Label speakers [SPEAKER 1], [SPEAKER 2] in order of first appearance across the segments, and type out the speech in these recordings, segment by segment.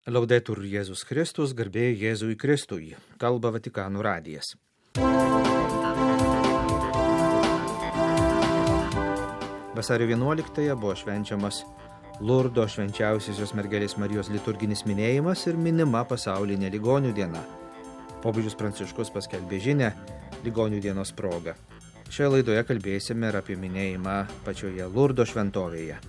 [SPEAKER 1] Laudetur Jėzus Kristus, garbė Jėzui Kristui, kalba Vatikano radijas. Vasario 11-ąją buvo švenčiamas Lurdo švenčiausiosios mergelės Marijos liturginis minėjimas ir minima pasaulinė ligonių diena. Popiežius Pranciškus paskelbė žinią ligonių dienos proga. Šioje laidoje kalbėsime ir apie minėjimą pačioje Lurdo šventovėje.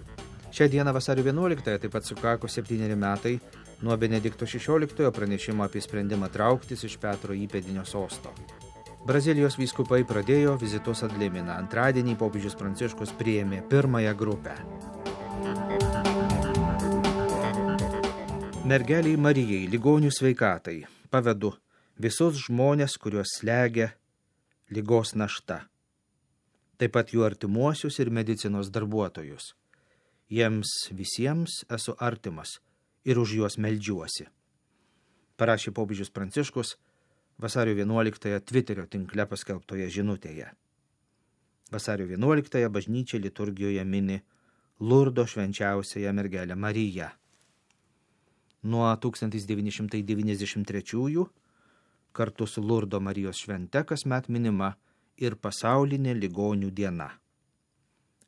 [SPEAKER 1] Šią dieną vasario 11-ąją taip pat sukako 7 metai nuo Benedikto XVI pranešimo apie sprendimą trauktis iš Petro įpėdinio sosto. Brazilijos vyskupai pradėjo vizitus ad limina. Antradienį popiežius Pranciškus priėmė pirmąją grupę. Mergeliai Marijai, ligonių sveikatai, pavedu visus žmonės, kuriuos slegia ligos našta. Taip pat jų artimuosius ir medicinos darbuotojus. Jiems visiems esu artimas ir už juos meldžiuosi. Parašė popiežius Pranciškus vasario 11-ąją Twitterio tinkle paskelbtoje žinutėje. Vasario 11-ąją bažnyčia liturgijoje mini Lurdo švenčiausiąją mergelę Mariją. Nuo 1993 kartu su Lurdo Marijos švente kasmet minima ir pasaulinė ligonių diena.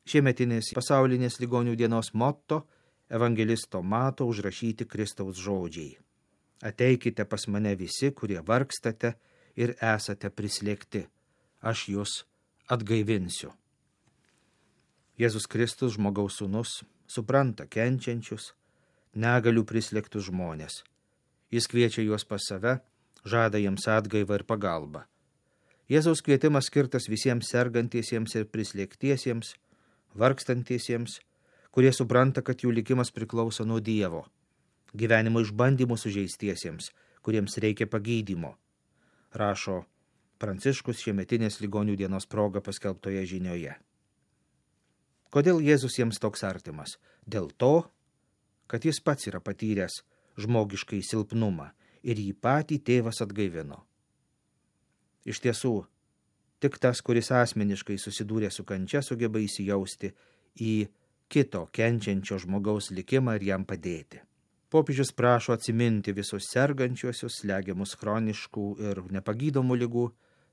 [SPEAKER 1] Šiemetinės pasaulinės ligonių dienos motto evangelisto Mato užrašyti Kristaus žodžiai. Ateikite pas mane visi, kurie vargstate ir esate prislėgti. Aš jūs atgaivinsiu. Jėzus Kristus, žmogaus sūnus, supranta kenčiančius, negalių prislėgtus žmonės. Jis kviečia juos pas save, žada jiems atgaivą ir pagalbą. Jėzaus kvietimas skirtas visiems sergantiesiems ir prislėgtiesiems, vargstantiesiems, kurie supranta, kad jų likimas priklauso nuo Dievo. Gyvenimo išbandymų sužeistiesiems, kuriems reikia pagydymo, rašo Pranciškus šiemetinės ligonių dienos proga paskelbtoje žinioje. Kodėl Jėzus jiems toks artimas? Dėl to, kad jis pats yra patyręs žmogiškai silpnumą ir jį patį tėvas atgaivino. Iš tiesų, tik tas, kuris asmeniškai susidūrė su kančia, sugeba įsijausti į kito kenčiančio žmogaus likimą ir jam padėti. Popiežius prašo atsiminti visus sergančiuosius, slegiamus chroniškų ir nepagydomų ligų,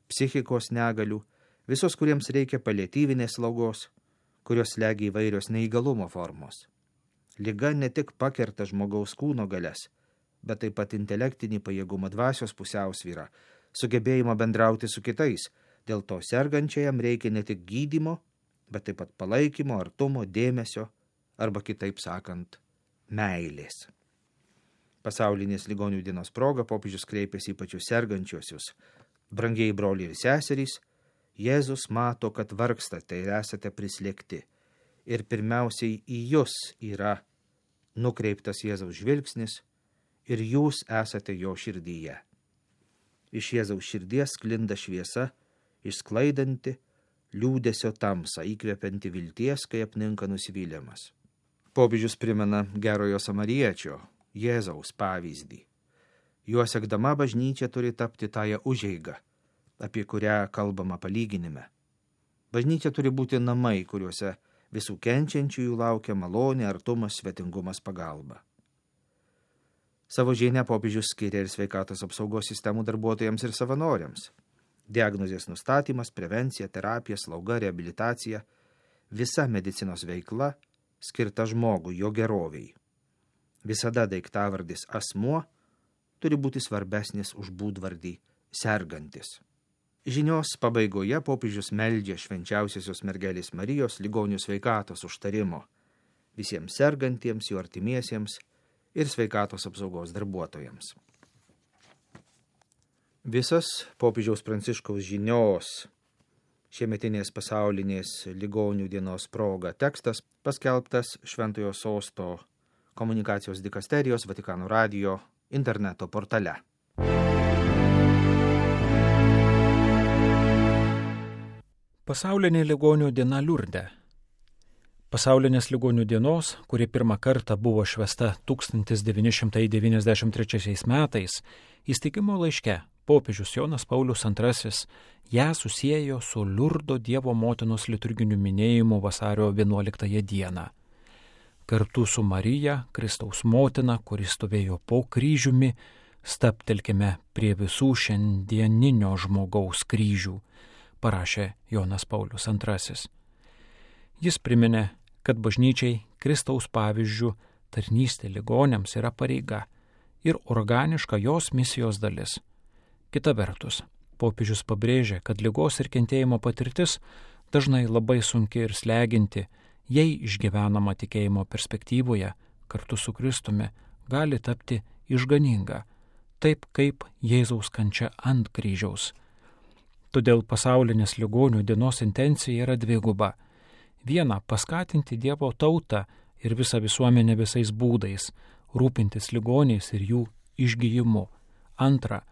[SPEAKER 1] psichikos negalių, visus, kuriems reikia paliatyvinės slaugos, kurios slegia įvairios neįgalumo formos. Liga ne tik pakerta žmogaus kūno galias, bet taip pat intelektinį pajėgumą, dvasios pusiausvyrą, sugebėjimą bendrauti su kitais. Dėl to sergančiajam reikia ne tik gydymo, bet taip pat palaikymo, artumo, dėmesio arba kitaip sakant, meilės. Pasaulinės ligonių dienos proga popiežius kreipėsi į pačius sergančiuosius. Brangieji broliai ir seserys, Jėzus mato, kad vargstate ir esate prislėgti. Ir pirmiausiai į jūs yra nukreiptas Jėzaus žvilgsnis ir jūs esate jo širdyje. Iš Jėzaus širdies sklinda šviesa, išsklaidanti liūdesio tamsą, įkvepianti vilties, kai apninka nusivylimas. Popiežius primena gerojo samariečio, Jėzaus pavyzdį. Juo sekdama bažnyčia turi tapti tąją užeigą, apie kurią kalbama palyginime. Bažnyčia turi būti namai, kuriuose visų kenčiančiųjų laukia malonė, artumas, svetingumas, pagalba. Savo žinią popiežius skiria ir sveikatos apsaugos sistemų darbuotojams ir savanoriams. Diagnozės nustatymas, prevencija, terapija, slauga, reabilitacija – visa medicinos veikla skirta žmogui, jo geroviai. Visada daiktavardis asmuo turi būti svarbesnis už būdvardį sergantis. Žinios pabaigoje popiežius meldžia švenčiausiosios mergelės Marijos ligonių sveikatos užtarimo visiems sergantiems, jų artimiesiems ir sveikatos apsaugos darbuotojams. Visas popiežiaus Pranciškaus žinios šiemetinės pasaulinės ligonių dienos proga tekstas paskelbtas Šventojo sosto komunikacijos dikasterijos Vatikano radijo interneto portale.
[SPEAKER 2] Pasaulinė ligonių diena Liurde. Pasaulinės ligonių dienos, kuri pirmą kartą buvo švęsta 1993 metais, įsteigimo laiške popiežius Jonas Paulius II ją susiejo su Liurdo Dievo motinos liturginiu minėjimu vasario 11 dieną. kartu su Marija, Kristaus motina, kuris stovėjo po kryžiumi, stabtelkime prie visų šiandieninio žmogaus kryžių, parašė Jonas Paulius II. Jis priminė, kad bažnyčiai Kristaus pavyzdžių tarnystė ligoniams yra pareiga ir organiška jos misijos dalis. Kita vertus, popiežius pabrėžė, kad ligos ir kentėjimo patirtis dažnai labai sunki ir sleginti, jei išgyvenama tikėjimo perspektyvoje kartu su Kristumi gali tapti išganinga, taip kaip Jėzaus kančia ant kryžiaus. Todėl pasaulinės ligonių dienos intencija yra dviguba. Viena, paskatinti Dievo tautą ir visą visuomenę visais būdais, rūpintis ligoniais ir jų išgijimu. Antra,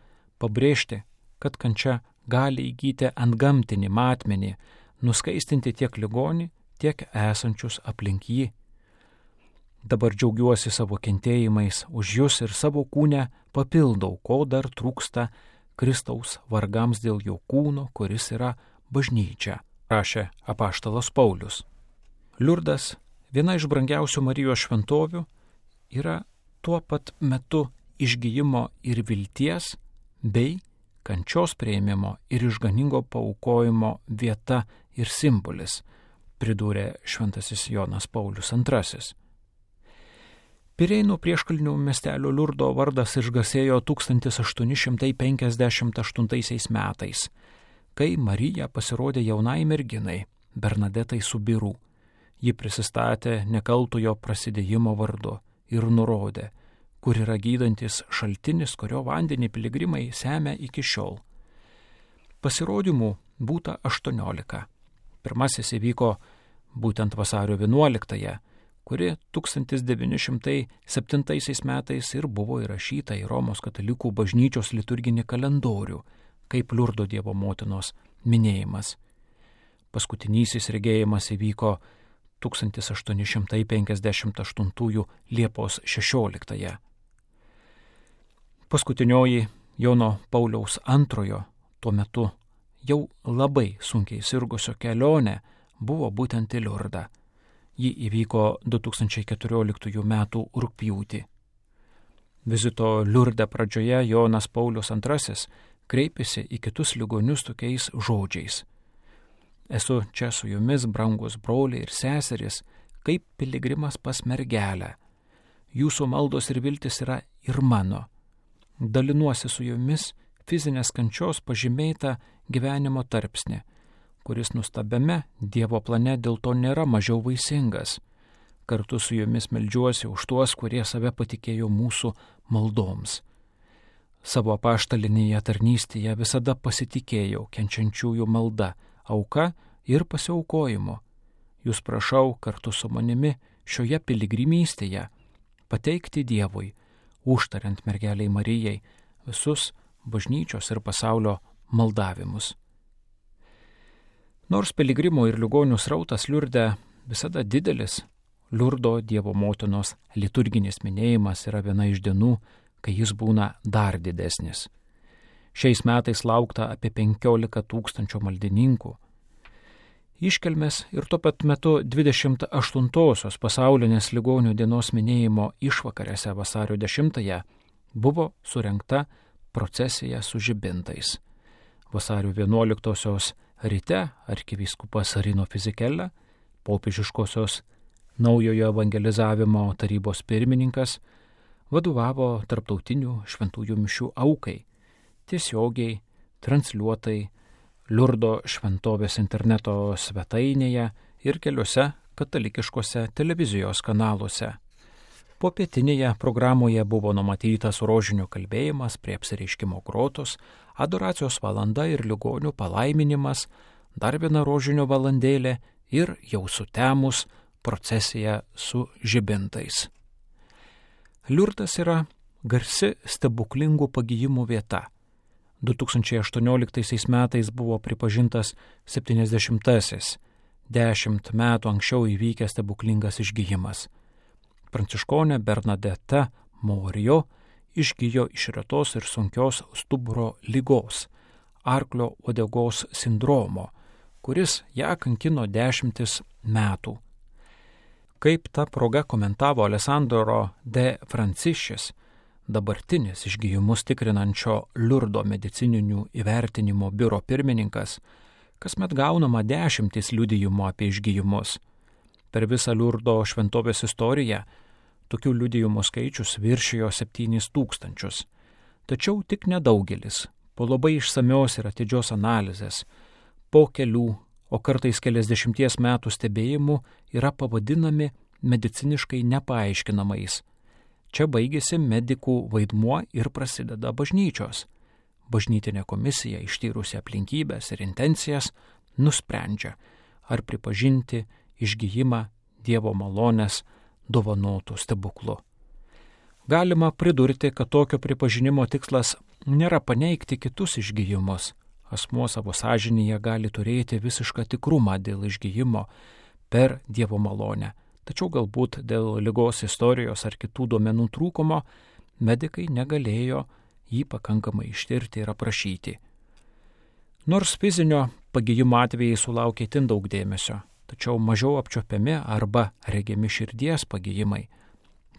[SPEAKER 2] pabrėžti, kad kančia gali įgyti antgamtinį matmenį, nuskaistinti tiek ligonį, tiek esančius aplink jį. Dabar džiaugiuosi savo kentėjimais už jūs ir savo kūnę papildau, ko dar trūksta Kristaus vargams dėl jo kūno, kuris yra bažnyčia, rašė apaštalas Paulius. Liurdas, viena iš brangiausių Marijos šventovių, yra tuo pat metu išgijimo ir vilties bei kančios priėmimo ir išganingo paaukojimo vieta ir simbolis, pridūrė šventasis Jonas Paulius II. Pirėnų prieškalnių miestelio Liurdo vardas išgarsėjo 1858 metais, kai Marija pasirodė jaunai merginai, Bernadetai Subiru. Ji prisistatė nekaltojo prasidėjimo vardu ir nurodė, kur yra gydantis šaltinis, kurio vandenį piligrimai semia iki šiol. Pasirodymų būta 18. Pirmasis įvyko būtent vasario 11, kuri 1907 metais ir buvo įrašyta į Romos katalikų bažnyčios liturginį kalendorių, kaip Liurdo Dievo motinos minėjimas. Paskutinysis regėjimas įvyko 1858 Liepos 16. Paskutinioji Jono Pauliaus II tuo metu jau labai sunkiai sirgusio kelionė buvo būtent į Liurdą. Ji įvyko 2014 m. rugpjūtį. Vizito Liurde pradžioje Jonas Paulius II kreipėsi į kitus ligonius tokiais žodžiais. Esu čia su jumis, brangus broliai ir seserys, kaip piligrimas pas mergelę. Jūsų maldos ir viltis yra ir mano. Dalinuosi su jumis fizinės kančios pažymėtą gyvenimo tarpsnį, kuris nustabiame Dievo plane dėl to nėra mažiau vaisingas. Kartu su jumis meldžiuosi už tuos, kurie save patikėjo mūsų maldoms. Savo apaštalinėje tarnystėje visada pasitikėjau kenčiančiųjų malda, auka ir pasiaukojimu. Jūs prašau kartu su manimi šioje piligrimystėje pateikti Dievui, užtariant mergeliai Marijai, visus bažnyčios ir pasaulio maldavimus. Nors piligrimų ir ligonių srautas Liurde visada didelis, Liurdo Dievo motinos liturginis minėjimas yra viena iš dienų, kai jis būna dar didesnis. Šiais metais laukta apie 15 000 maldininkų. Iškelmės ir tuo pat metu 28-osios pasaulinės ligonių dienos minėjimo išvakarėse vasario 10 buvo surengta procesija su žibintais. Vasario 11-osios ryte arkivyskupas Rino Fizikella, popiežiškosios naujojo evangelizavimo tarybos pirmininkas, vadovavo tarptautinių šventųjų mišių aukai, tiesiogiai transliuotai Liurdo šventovės interneto svetainėje ir keliuose katalikiškose televizijos kanaluose. Popietinėje programoje buvo numatytas rožinio kalbėjimas prie apsireiškimo grotos, adoracijos valanda ir ligonių palaiminimas, dar viena rožinio valandėlė ir jau sutemus procesija su žibintais. Liurdas yra garsi stebuklingų pagijimų vieta. 2018 metais buvo pripažintas 70-asis, 10 metų anksčiau įvykęs stebuklingas išgijimas. Pranciškonė Bernadeta Morio išgijo iš retos ir sunkios stuburo ligos, arklio uodegos sindromo, kuris ją kankino 10 metų. Kaip ta proga komentavo Alessandro de Francišis, dabartinis išgijimus tikrinančio Liurdo medicininių įvertinimo biuro pirmininkas, kasmet gaunama 10 liudijimų apie išgijimus. Per visą Liurdo šventovės istoriją tokių liudijimų skaičius viršijo 7000. Tačiau tik nedaugelis, po labai išsamios ir atidžios analizės, po kelių, o kartais keliasdešimties metų stebėjimų yra pavadinami mediciniškai nepaaiškinamais. Čia baigėsi medikų vaidmuo ir prasideda bažnyčios. Bažnytinė komisija, ištyrusi aplinkybės ir intencijas, nusprendžia, ar pripažinti išgijimą Dievo malonės dovanotų stebuklu. Galima pridurti, kad tokio pripažinimo tikslas nėra paneigti kitus išgijimus. Asmuo savo sąžinėje gali turėti visišką tikrumą dėl išgijimo per Dievo malonę. Tačiau galbūt dėl ligos istorijos ar kitų duomenų trūkumo medikai negalėjo jį pakankamai ištirti ir aprašyti. Nors fizinio pagijimo atvejai sulaukė itin daug dėmesio, tačiau mažiau apčiuopiami arba regimi širdies pagijimai.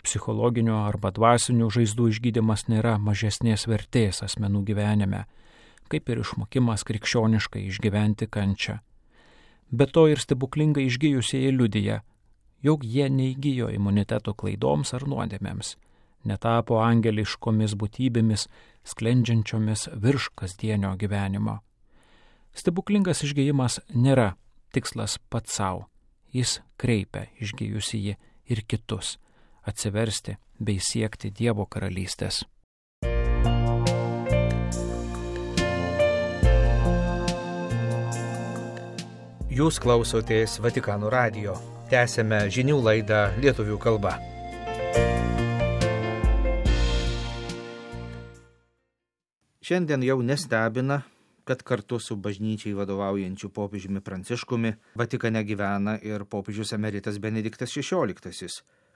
[SPEAKER 2] Psichologinių arba dvasinių žaizdų išgydymas nėra mažesnės vertės asmenų gyvenime, kaip ir išmokimas krikščioniškai išgyventi kančią. Be to ir stebuklingai išgijusieji liudija, jog jie neįgijo imuniteto klaidoms ar nuodėmėms, netapo angeliškomis būtybėmis, sklendžiančiomis virš kasdienio gyvenimo. Stebuklingas išgijimas nėra tikslas pats savo, jis kreipia išgijusįjį ir kitus atsiversti bei siekti Dievo karalystės.
[SPEAKER 1] Jūs klausotės Vatikano radijo. Tęsėme žinių laidą lietuvių kalba. Šiandien jau nestebina, kad kartu su bažnyčiai vadovaujančiu popiežiumi Pranciškumi Vatikane gyvena ir popiežius emeritas Benediktas XVI,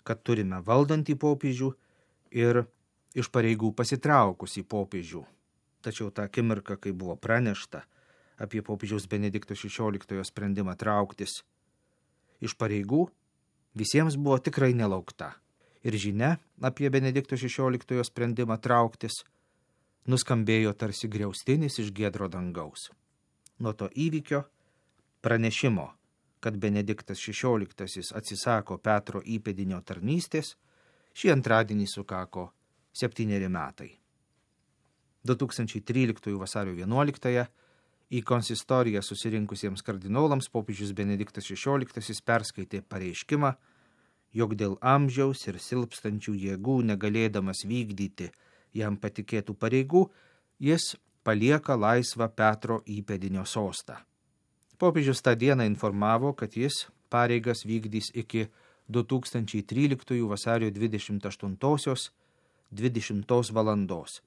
[SPEAKER 1] kad turime valdantį popiežių ir iš pareigų pasitraukusį popiežių. Tačiau tą akimirką, kai buvo pranešta apie popiežiaus Benedikto XVI sprendimą trauktis iš pareigų, visiems buvo tikrai nelaukta. Ir žinia apie Benedikto XVI sprendimą trauktis nuskambėjo tarsi griaustinis iš giedro dangaus. Nuo to įvykio, pranešimo, kad Benediktas XVI atsisako Petro įpėdinio tarnystės, šį antradienį sukako 7 metai. 2013 vasario 11 į konsistoriją susirinkusiems kardinolams popiežius Benediktas XVI perskaitė pareiškimą, jog dėl amžiaus ir silpstančių jėgų negalėdamas vykdyti jam patikėtų pareigų, jis palieka laisvą Petro įpėdinio sostą. Popiežius tą dieną informavo, kad jis pareigas vykdys iki 2013 vasario 28:20 valandos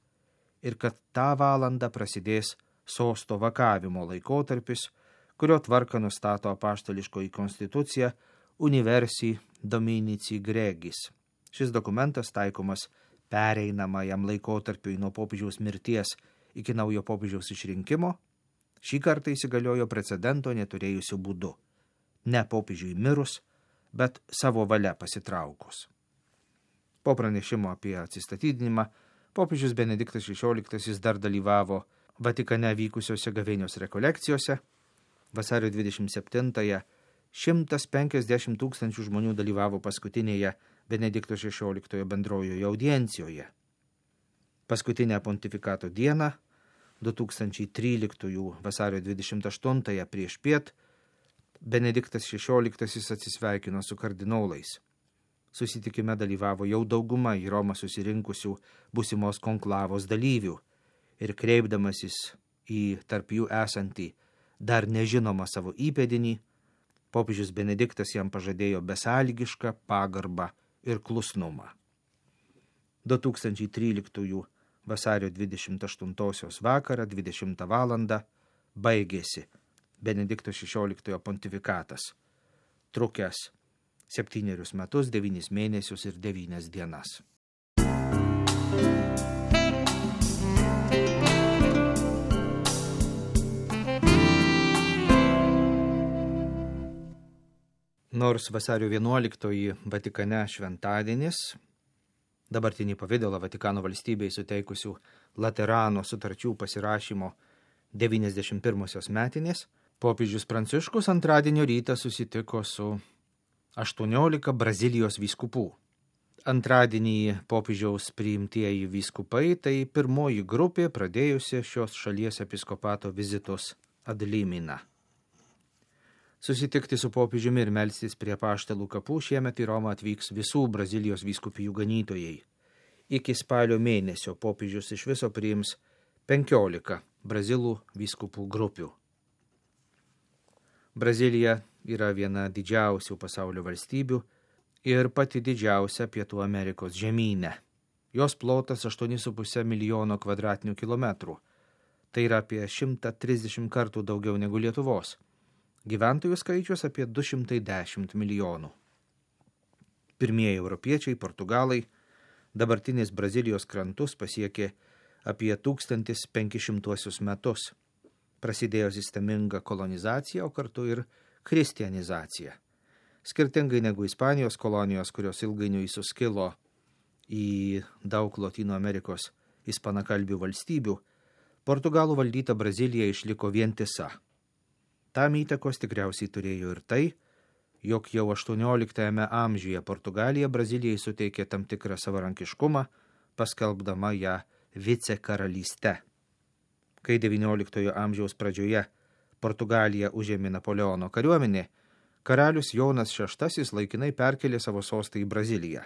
[SPEAKER 1] ir kad tą valandą prasidės sosto vakavimo laikotarpis, kurio tvarką nustato apaštališkoji konstitucija Universi Dominici Gregis. Šis dokumentas taikomas pereinamajam laikotarpiui nuo popiežiaus mirties iki naujo popiežiaus išrinkimo, šį kartą įsigaliojo precedento neturėjusių būdu. Ne popiežiui mirus, bet savo valia pasitraukus. Po pranešimo apie atsistatydinimą, popiežius Benediktas XVI dar dalyvavo Vatikane vykusiose gavėnios rekolekcijose. Vasario 27-ąją 150 000 žmonių dalyvavo paskutinėje Benedikto XVI bendrojoje audiencijoje. Paskutinę pontifikato dieną, 2013 vasario 28 prieš piet, Benediktas XVI atsisveikino su kardinolais. Susitikime dalyvavo jau dauguma į Romą susirinkusių būsimos konklavos dalyvių ir kreipdamasis į tarp jų esantį dar nežinomą savo įpėdinį, popiežius Benediktas jam pažadėjo besąlygišką pagarbą ir klusnumą. 2013 vasario 28 vakarą 20 valandą baigėsi Benedikto XVI pontifikatas, trukęs 7 metus, 9 mėnesius ir 9 dienas. Nors vasario 11 Vatikane šventadienis, dabartinį pavidalą Vatikano valstybei suteikusių Laterano sutarčių pasirašymo 91 metinės, popiežius Pranciškus antradienio rytą susitiko su 18 Brazilijos vyskupų. Antradienį popiežiaus priimtieji vyskupai tai pirmoji grupė pradėjusi šios šalies episkopato vizitus ad limina. Susitikti su popiežiumi ir melstis prie apaštalų kapų šiemet į Romą atvyks visų Brazilijos vyskupijų ganytojai. Iki spalio mėnesio popiežius iš viso priims 15 brazilų vyskupų grupių. Brazilija yra viena didžiausių pasaulio valstybių ir pati didžiausia Pietų Amerikos žemyne. Jos plotas 8,5 milijono kvadratinių kilometrų. Tai yra apie 130 kartų daugiau negu Lietuvos. Gyventojų skaičius apie 210 milijonų. Pirmieji europiečiai, portugalai, dabartinės Brazilijos krantus pasiekė apie 1500 metus. Prasidėjo sisteminga kolonizacija, o kartu ir kristianizacija. Skirtingai negu Ispanijos kolonijos, kurios ilgainiui suskilo į daug Lotynų Amerikos ispanakalbių valstybių, Portugalų valdyta Brazilija išliko vientisa. Tam įtakos tikriausiai turėjo ir tai, jog jau 18 amžiuje Portugalija Brazilijai suteikė tam tikrą savarankiškumą, paskelbdama ją vicekaralyste. Kai 19 amžiaus pradžioje Portugaliją užėmė Napoleono kariuomenė, karalius Jonas VI laikinai perkelė savo sostą į Braziliją.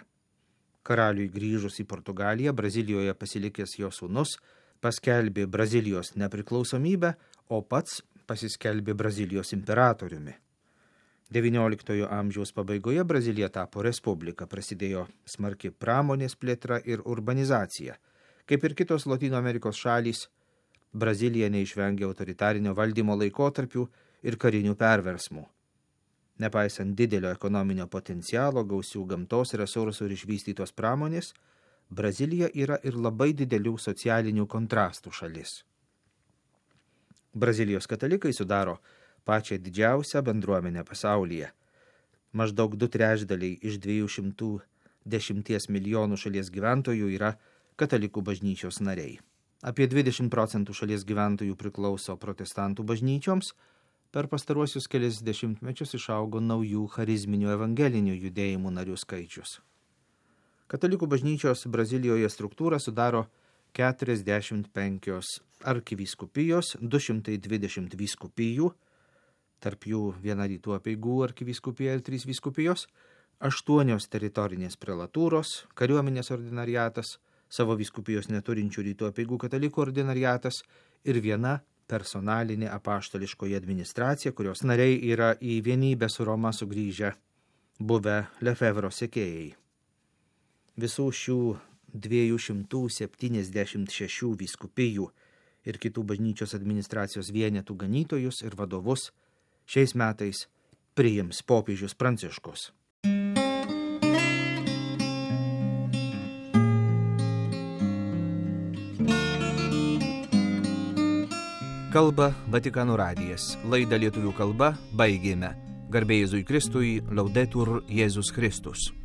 [SPEAKER 1] Karaliui grįžus į Portugaliją, Brazilijoje pasilikęs jo sūnus paskelbė Brazilijos nepriklausomybę, o pats pasiskelbė Brazilijos imperatoriumi. 19 amžiaus pabaigoje Brazilija tapo respublika, prasidėjo smarki pramonės plėtra ir urbanizacija. Kaip ir kitos Lotynų Amerikos šalys, Brazilija neišvengė autoritarinio valdymo laikotarpių ir karinių perversmų. Nepaisant didelio ekonominio potencialo, gausių gamtos resursų ir išvystytos pramonės, Brazilija yra ir labai didelių socialinių kontrastų šalis. Brazilijos katalikai sudaro pačią didžiausią bendruomenę pasaulyje. Maždaug 2/3 iš 210 milijonų šalies gyventojų yra katalikų bažnyčios nariai. Apie 20% šalies gyventojų priklauso protestantų bažnyčioms, per pastaruosius kelis dešimtmečius išaugo naujų charizminių evangelinių judėjimų narių skaičius. Katalikų bažnyčios Brazilijoje struktūrą sudaro 45 arkivyskupijos, 220 vyskupijų, tarp jų viena rytų apeigų arkivyskupija ir 3 vyskupijos, 8 teritorinės prelatūros, kariuomenės ordinariatas, savo vyskupijos neturinčių rytų apeigų katalikų ordinariatas ir viena personalinė apaštališkoji administracija, kurios nariai yra į vienybę su Roma sugrįžę buvę Lefevro sekėjai. Visų šių 276 vyskupijų ir kitų bažnyčios administracijos vienetų ganytojus ir vadovus šiais metais priims popiežius Pranciškus. Kalba Vatikano radijas. Laidą lietuvių kalba baigėme. Garbė Jėzui Kristui, Laudetur Jėzus Kristus.